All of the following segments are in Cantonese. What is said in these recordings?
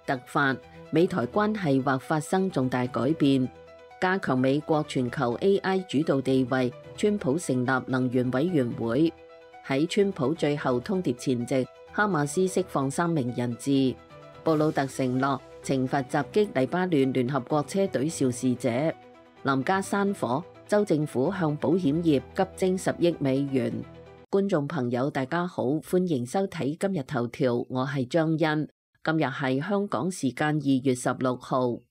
突發，美台關係或發生重大改變，加強美國全球 AI 主導地位。川普成立能源委員會。喺川普最後通牒前夕，哈馬斯釋放3名人質。布魯特承諾懲罰襲擊黎巴嫩聯合國車隊肇事者。林家山火，州政府向保險業急徵10億美元。觀眾朋友大家好，歡迎收睇今日頭條，我係張欣。今日係香港時間2月16號。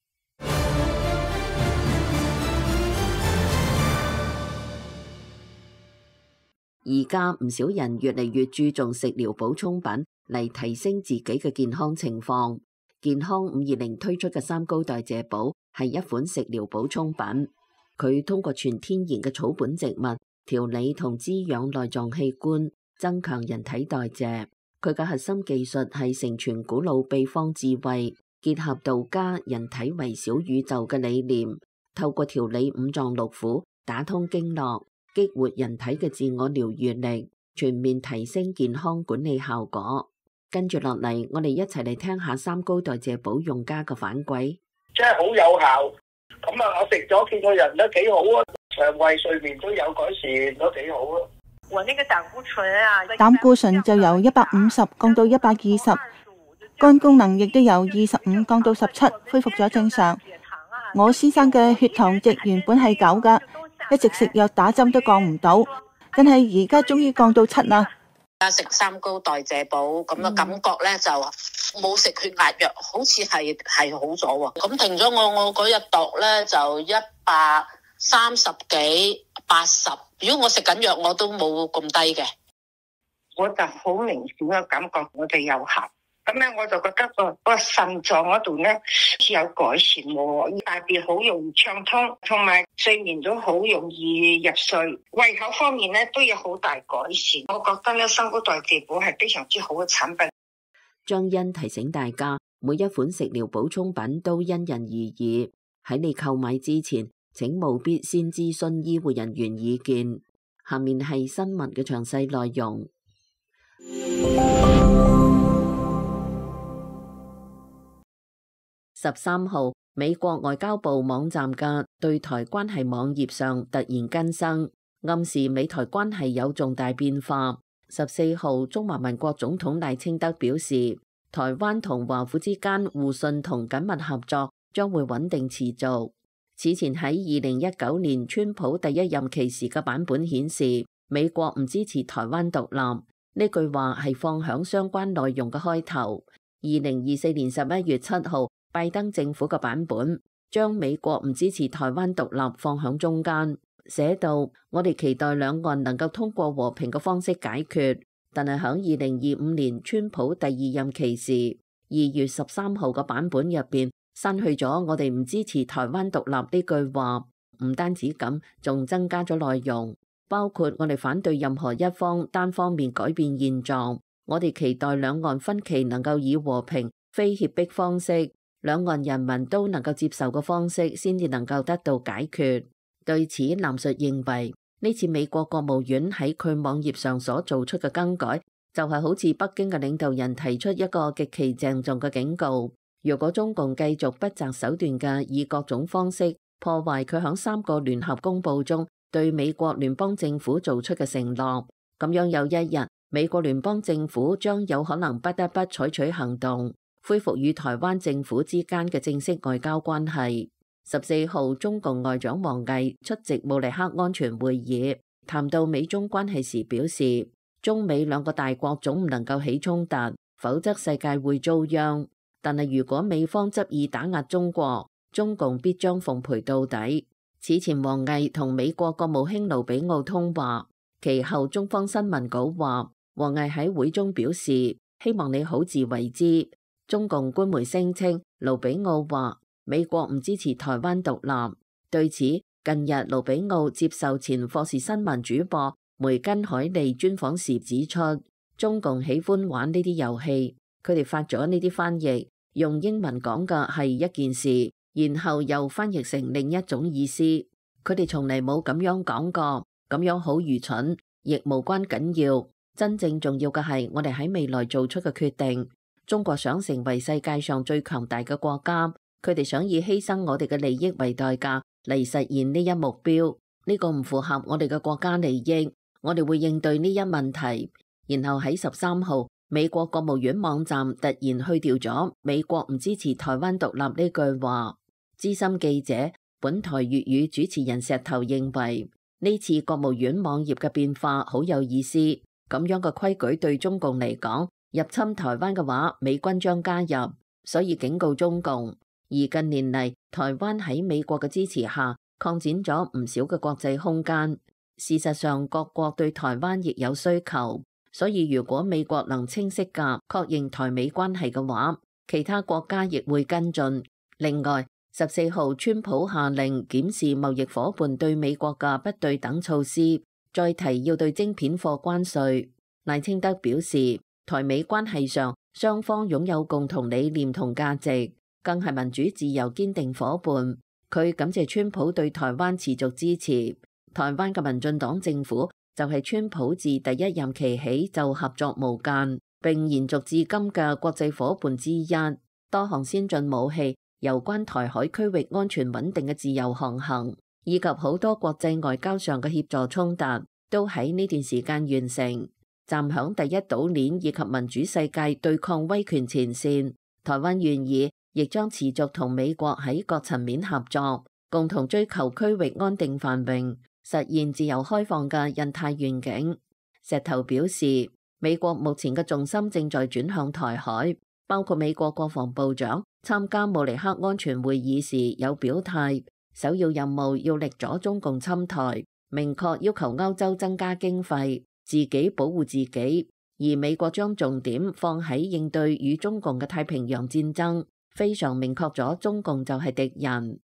而家唔少人越嚟越注重食療補充品嚟提升自己嘅健康情況。健康520推出嘅3高代謝寶係一款食療補充品，佢通過全天然嘅草本植物調理同滋養內臟器官，增強人體代謝。佢嘅核心技術係承傳古老秘方智慧，結合道家人體為小宇宙嘅理念，透過調理五臟六腑，打通經絡，激活人體嘅自我療愈力，全面提升健康管理效果。跟住落嚟，我哋一齊嚟聽下3高代謝寶用家嘅反饋。真係好有效，咁啊，我食咗見個人都幾好啊，腸胃睡眠都有改善，都幾好啊。我那個膽固醇就由150降到120，肝功能亦都由25降到17，恢復咗正常。我先生嘅血糖值原本係9噶，一直食藥打針都降唔到，但係而家終於降到7啦。食3高代謝寶咁嘅感覺咧，就冇食血壓藥，好似係好咗喎。咁停咗我嗰日度咧就130幾80。如果我食緊藥，我都冇咁低嘅。我就好明顯嘅感覺，我哋有效。咁咧，我就覺得個腎臟嗰度咧似有改善喎，大便好容易暢通，同埋睡眠都好容易入睡。胃口方面咧都有好大改善。我覺得咧3高代謝寶係非常之好嘅產品。張欣提醒大家，每一款食療補充品都因人而異，喺你購買之前，請務必先諮詢醫護人員意見。下面係新聞嘅詳細內容。13號，美國外交部網站嘅對台關係網頁上突然更新，暗示美台關係有重大變化。14號，中華民國總統賴清德表示，台灣同華府之間互信同緊密合作將會穩定持續。此前喺2019年川普第一任期時嘅版本顯示，美國唔支持台灣獨立，呢句話係放響相關內容嘅開頭。2024年11月7號，拜登政府嘅版本將美國唔支持台灣獨立放響中間，寫到我哋期待兩岸能夠通過和平嘅方式解決。但係響2025年川普第2任期時2月13號嘅版本入邊，刪去咗我哋唔支持台灣獨立呢句話。唔單止咁，仲增加咗內容，包括我哋反對任何一方單方面改變現狀，我哋期待兩岸分歧能夠以和平非脅迫方式，兩岸人民都能夠接受嘅方式先至能夠得到解決。對此，藍述認為呢次美國國務院喺佢網頁上所做出嘅更改，就係好似北京嘅領導人提出一個極其鄭重嘅警告。如果中共繼續不擇手段嘅以各種方式破壞佢響3個聯合公報中對美國聯邦政府做出嘅承諾，咁樣有一日美國聯邦政府將有可能不得不採取行動，恢復與台灣政府之間嘅正式外交關係。14號，中共外長王毅出席慕尼黑安全會議，談到美中關係時表示，中美兩個大國總唔能夠起衝突，否則世界會遭殃。但係如果美方執意打壓中國，中共必將奉陪到底。此前王毅同美國國務卿盧比奧通話，其後中方新聞稿話，王毅喺會中表示希望你好自為之。中共官媒聲稱盧比奧話美國唔支持台灣獨立。對此，近日盧比奧接受前霍士新聞主播梅根海利專訪時指出，中共喜歡玩呢啲遊戲，佢哋發咗呢啲翻譯，用英文講嘅係一件事，然後又翻譯成另一種意思。佢哋從嚟冇咁樣講過，咁樣好愚蠢，亦無關緊要。真正重要嘅係我哋喺未來做出嘅決定。中國想成為世界上最強大嘅國家，佢哋想以犧牲我哋嘅利益為代價嚟實現呢一目標，呢個唔符合我哋嘅國家利益，我哋會應對呢一問題。然後喺13號，美國國務院網站突然去掉咗美國唔支持台灣獨立呢句話。資深記者、本台粵語主持人石頭認為，呢次國務院網頁嘅變化好有意思，咁樣嘅規矩對中共嚟講，入侵台灣嘅話，美軍將加入，所以警告中共。而近年嚟，台灣喺美國嘅支持下，擴展咗唔少嘅國際空間。事實上，各國對台灣亦有需求，所以如果美國能清晰嘅確認台美關係嘅話，其他國家亦會跟進。另外，14號川普下令檢視貿易夥伴對美國嘅不對等措施，再提要對晶片貨關稅。賴清德表示，台美關係上雙方擁有共同理念同價值，更係民主自由堅定夥伴。佢感謝川普對台灣持續支持。台灣嘅民進黨政府就係川普自第一任期起就合作無間，並延續至今嘅國際夥伴之一。多項先進武器、有關台海區域安全穩定嘅自由航行，以及好多國際外交上嘅協助衝突，都喺呢段時間完成。站響第一島鏈以及民主世界對抗威權前線，台灣願意，亦將持續同美國喺各層面合作，共同追求區域安定繁榮，實現自由開放嘅印太願景。石頭表示，美國目前嘅重心正在轉向台海，包括美國國防部長參加慕尼黑安全會議時有表態，首要任務要力阻中共侵台，明確要求歐洲增加經費，自己保護自己。而美國將重點放喺應對與中共嘅太平洋戰爭，非常明確咗中共就係敵人。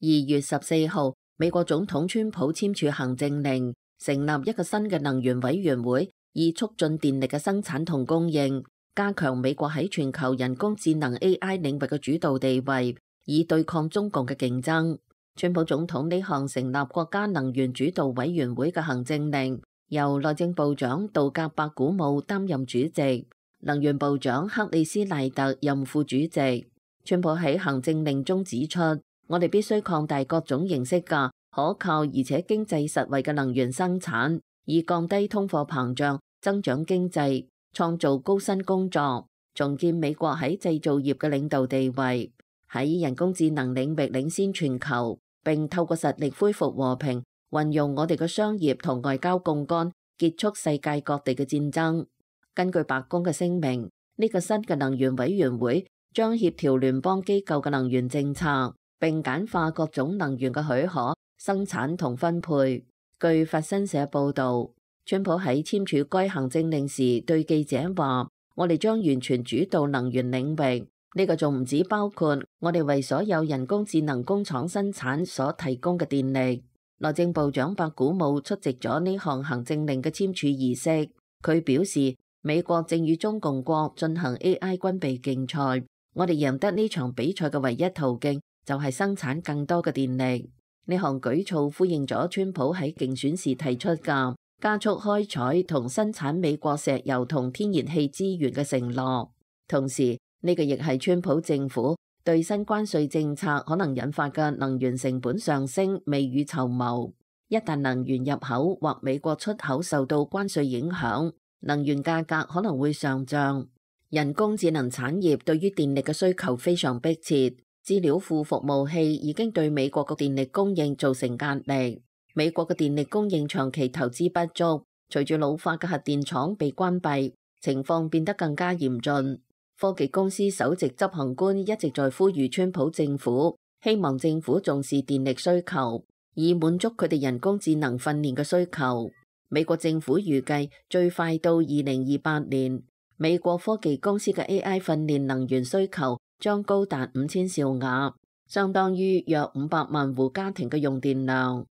2月14號，美國總統川普簽署行政令，成立一個新嘅能源委員會，以促進電力嘅生產同供應，加強美國喺全球人工智能 AI 領域嘅主導地位，以對抗中共嘅競爭。川普總統呢項成立國家能源主導委員會嘅行政令，由內政部長杜格伯古姆擔任主席，能源部長克里斯賴特任副主席。川普喺行政令中指出，我哋必須擴大各種形式嘅可靠而且經濟實惠嘅能源生產，以降低通貨膨脹、增長經濟、創造高薪工作，重建美國喺製造業嘅領導地位，喺人工智能領域領先全球，並透過實力恢復和平，運用我哋嘅商業同外交槓桿，結束世界各地嘅戰爭。根據白宮嘅聲明，呢個新嘅能源委員會將協調聯邦機構嘅能源政策，並簡化各種能源嘅許可、生產同分配。據法新社報導，川普喺簽署該行政令時對記者話：我哋將完全主導能源領域，呢個仲唔止包括我哋為所有人工智能工廠生產所提供嘅電力。內政部長白古姆出席咗呢項行政令嘅簽署儀式，佢表示美國正與中共國進行 AI 軍備競賽，我哋贏得呢場比賽嘅唯一途徑就係生產更多嘅電力。呢項舉措呼應咗川普喺競選時提出嘅加速開採同生產美國石油同天然氣資源嘅承諾。同時，呢個亦係川普政府對新關稅政策可能引發嘅能源成本上升未雨綢繆。一旦能源入口或美國出口受到關稅影響，能源價格可能會上漲。人工智能產業對於電力嘅需求非常迫切。資料庫服務器已經對美國嘅電力供應造成壓力。美國嘅電力供應長期投資不足，隨住老化嘅核電廠被關閉，情況變得更加嚴峻。科技公司首席執行官一直在呼籲川普政府，希望政府重視電力需求，以滿足佢哋人工智能訓練嘅需求。美國政府預計最快到2028年，美國科技公司嘅 AI 訓練能源需求將高達5000兆瓦，相當於約500萬戶家庭嘅用電量。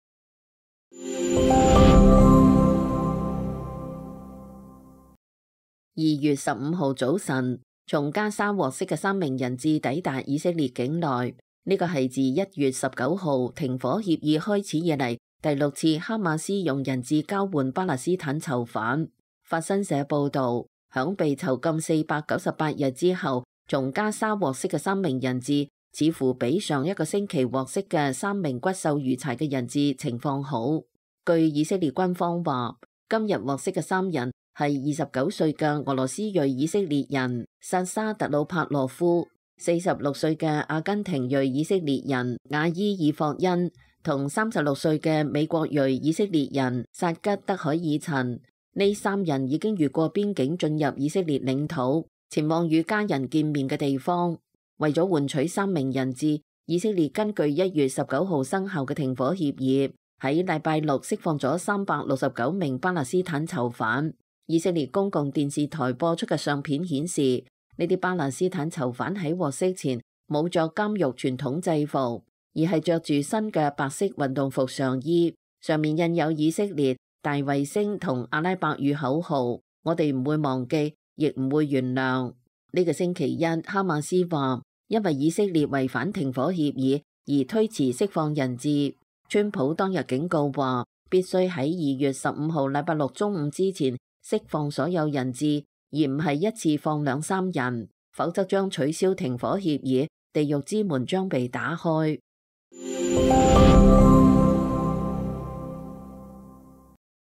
2月15號早晨，從加沙獲釋嘅3名人質抵達以色列境內，呢個係自1月19號停火協議開始以嚟第6次哈馬斯用人質交換巴勒斯坦囚犯。法新社報導，響被囚禁498日之後，從加沙獲釋嘅3名人質，似乎比上一個星期獲釋嘅3名骨瘦如柴嘅人質情況好。據以色列軍方話，今日獲釋嘅3人係29歲嘅俄羅斯裔以色列人薩沙特魯帕洛夫、46歲嘅阿根廷裔以色列人亞伊爾霍恩同36歲嘅美國裔以色列人薩吉德海爾陳。呢3人已經越過邊境進入以色列領土，前往與家人見面嘅地方。為咗換取3名人質，以色列根據1月19號生效嘅停火協議，喺禮拜六釋放咗369名巴勒斯坦囚犯。以色列公共電視台播出嘅相片顯示，呢啲巴勒斯坦囚犯喺獲釋前冇着監獄傳統制服，而係着住新嘅白色運動服上衣，上面印有以色列、大衛星同阿拉伯語口號，我哋唔會忘記，亦唔會原諒。呢個星期一，哈馬斯話因為以色列違反停火協議而推遲釋放人質。川普當日警告話，必須喺2月15號禮拜六中午之前釋放所有人質，而唔係一次放2-3人，否則將取消停火協議，地獄之門將被打開。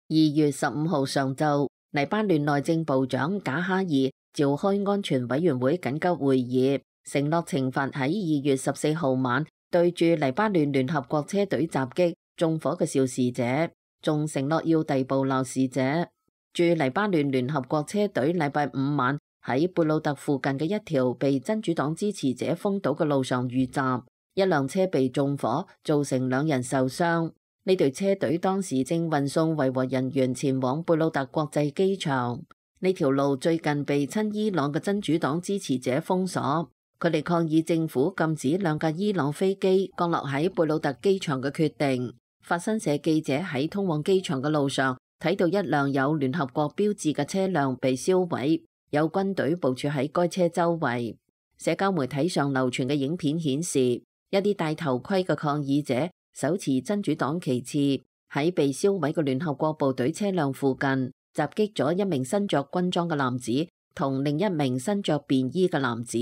2月15號上晝，黎巴嫩內政部長賈哈爾召開安全委員會緊急會議，承諾懲罰喺2月14號晚對住黎巴嫩聯合國車隊襲擊縱火嘅肇事者，仲承諾要逮捕鬧事者。駐黎巴嫩聯合國車隊禮拜5晚喺貝魯特附近嘅一條被真主黨支持者封堵嘅路上遇襲，一輛車被縱火，造成2人受傷。呢隊車隊當時正運送維和人員前往貝魯特國際機場。呢條路最近被親伊朗嘅真主黨支持者封鎖，佢哋抗議政府禁止2架伊朗飛機降落喺貝魯特機場嘅決定。法新社記者喺通往機場嘅路上睇到一輛有聯合國標誌嘅車輛被燒毀，有軍隊部署喺該車周圍。社交媒體上流傳嘅影片顯示，一啲戴頭盔嘅抗議者手持真主黨旗幟，喺被燒毀嘅聯合國部隊車輛附近襲擊咗一名身着軍裝嘅男子同另一名身着便衣嘅男子。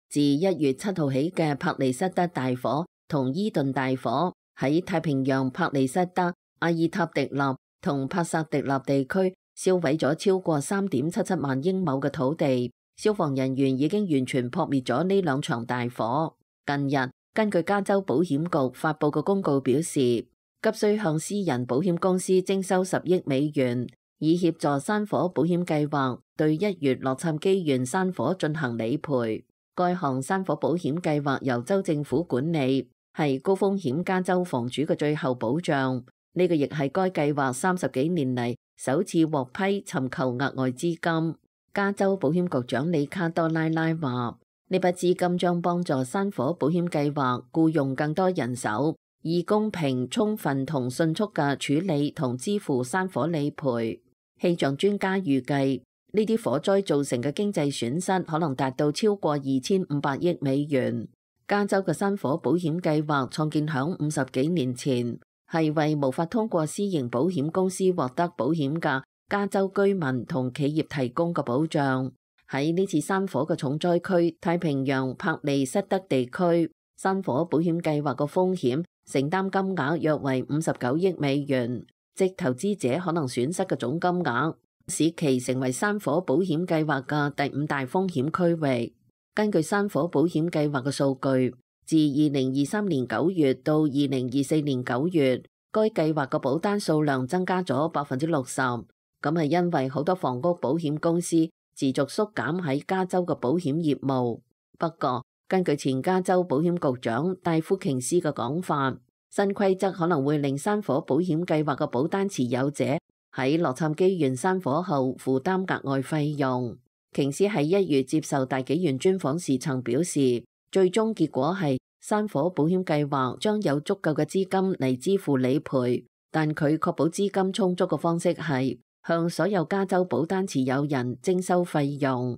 自1月7號起嘅帕利塞德大火同伊頓大火喺太平洋帕利塞德、阿爾塔迪納同帕薩迪納地區燒毀咗超過3.77萬英畝嘅土地。消防人員已經完全撲滅咗呢2場大火。近日，根據加州保險局發佈嘅公告表示，急需向私人保險公司徵收10億美元，以協助山火保險計劃對1月洛杉磯縣山火進行理賠。該項山火保險計劃由州政府管理，係高風險加州房主嘅最後保障。呢個亦係該計劃30幾年嚟首次獲批尋求額外資金。加州保險局長里卡多拉拉話：呢筆資金將幫助山火保險計劃僱用更多人手，以公平、充分同迅速嘅處理同支付山火理賠。氣象專家預計，呢啲火災造成嘅經濟損失可能達到超過2500億美元。加州嘅山火保險計劃創建響50幾年前，係為無法通過私營保險公司獲得保險嘅加州居民同企業提供嘅保障。喺呢次山火嘅重災區太平洋帕利塞德地區，山火保險計劃嘅風險承擔金額約為59億美元，即投資者可能損失嘅總金額，使其成為山火保險計劃嘅第5大風險區域。根據山火保險計劃嘅數據，自2023年9月到2024年9月，該計劃嘅保單數量增加咗60%。咁係因為好多房屋保險公司持續縮減喺加州嘅保險業務。不過，根據前加州保險局長戴夫瓊斯嘅講法，新規則可能會令山火保險計劃嘅保單持有者喺洛杉磯縣山火後負擔額外費用。瓊斯喺1月接受大紀元專訪時曾表示，最終結果係山火保險計劃將有足夠嘅資金嚟支付理賠，但佢確保資金充足嘅方式係向所有加州保單持有人徵收費用。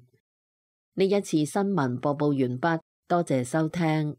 呢一次新聞播報完畢，多謝收聽。